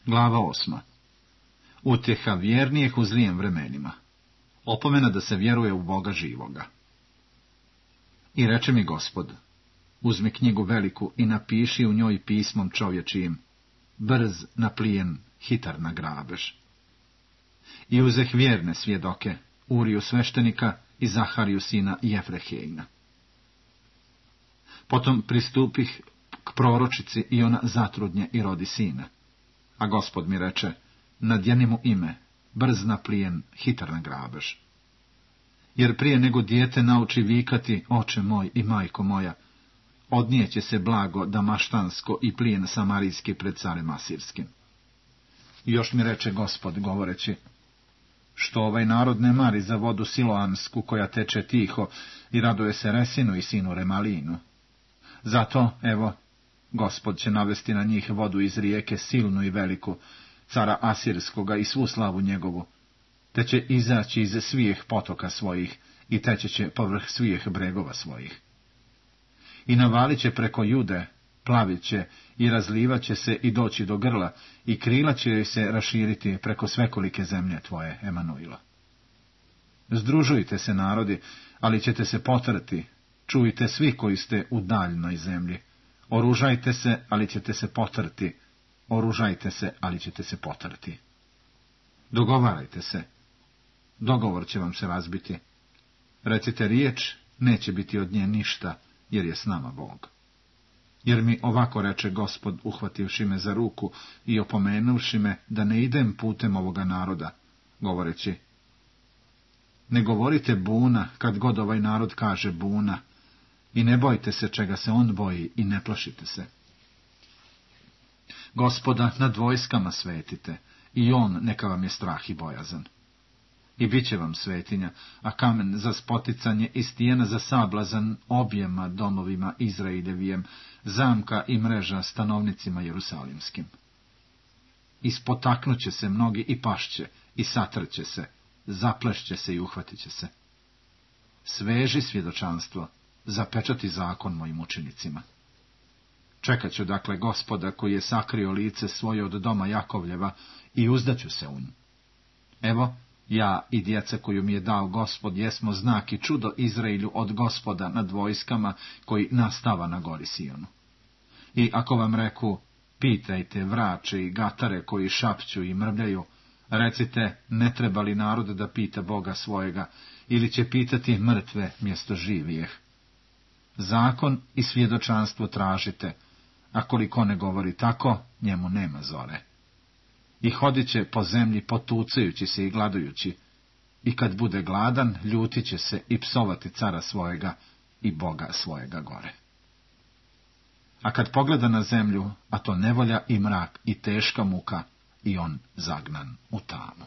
Glava 8. Utjeha vjernijih u zlijem vremenima. Opomena da se vjeruje u Boga živoga. I reče mi Gospod, uzmi knjigu veliku i napiši u njoj pismom čovječijim, brz na plijen, hitar na grabež. I uzeh vjerne svjedoke, Uriju sveštenika i Zahariju sina Jefrehejna. Potom pristupih k proročici i ona zatrudnje i rodi sina. A Gospod mi reče, nadjeni mu ime, brz na plijen, hitar na grabež. Jer prije nego dijete nauči vikati, oče moj i majko moja, odnijeće se blago damaštansko i plijen samarijski pred carem asirskim. I još mi reče Gospod, govoreći, što ovaj narod ne mari za vodu siloansku koja teče tiho i raduje se Resinu i sinu Remalinu. Zato, evo, Gospod će navesti na njih vodu iz rijeke silnu i veliku, cara Asirskoga i svu slavu njegovu, te će izaći iz svih potoka svojih i teće će povrh svih bregova svojih. I navalit će preko Jude, plavit će i razlivat će se i doći do grla i krila će joj se raširiti preko svekolike zemlje tvoje, Emanuila. Združujte se, narodi, ali ćete se potrti, čujte svi koji ste u daljnoj zemlji. Oružajte se, ali ćete se potrti. Oružajte se, ali ćete se potrti. Dogovarajte se. Dogovor će vam se razbiti. Recite riječ, neće biti od nje ništa, jer je s nama Bog. Jer mi ovako reče Gospod, uhvativši me za ruku i opomenuvši me da ne idem putem ovoga naroda, govoreći, ne govorite buna kad god ovaj narod kaže buna, i ne bojte se čega se on boji i ne plašite se. Gospoda nad vojskama svetite, i on neka vam je strah i bojazan. I bit će vam svetinja, a kamen za spoticanje i stijena za sablazan objema domovima Izraeljevijem, zamka i mreža stanovnicima jerusalimskim. Ispotaknuće se mnogi i pašće, i satrće se, zaplešće se i uhvatit će se. Sveži svjedočanstvo, zapečati zakon mojim učenicima. Čekat ću dakle Gospoda koji je sakrio lice svoje od doma Jakovljeva i uzdaću se u nju. Evo, ja i djeca koju mi je dao Gospod jesmo znak i čudo Izraelju od Gospoda nad vojskama koji nastava na gori Sionu. I ako vam reku, pitajte vrače i gatare koji šapću i mrvljaju, recite, ne treba li narod da pita Boga svojega, ili će pitati mrtve mjesto živijeh. Zakon i svjedočanstvo tražite, a koliko ne govori tako, njemu nema zore. I hodit će po zemlji potucajući se i gladujući, i kad bude gladan, ljutit će se i psovati cara svojega i Boga svojega gore. A kad pogleda na zemlju, a to nevolja i mrak i teška muka, i on zagnan u tamu.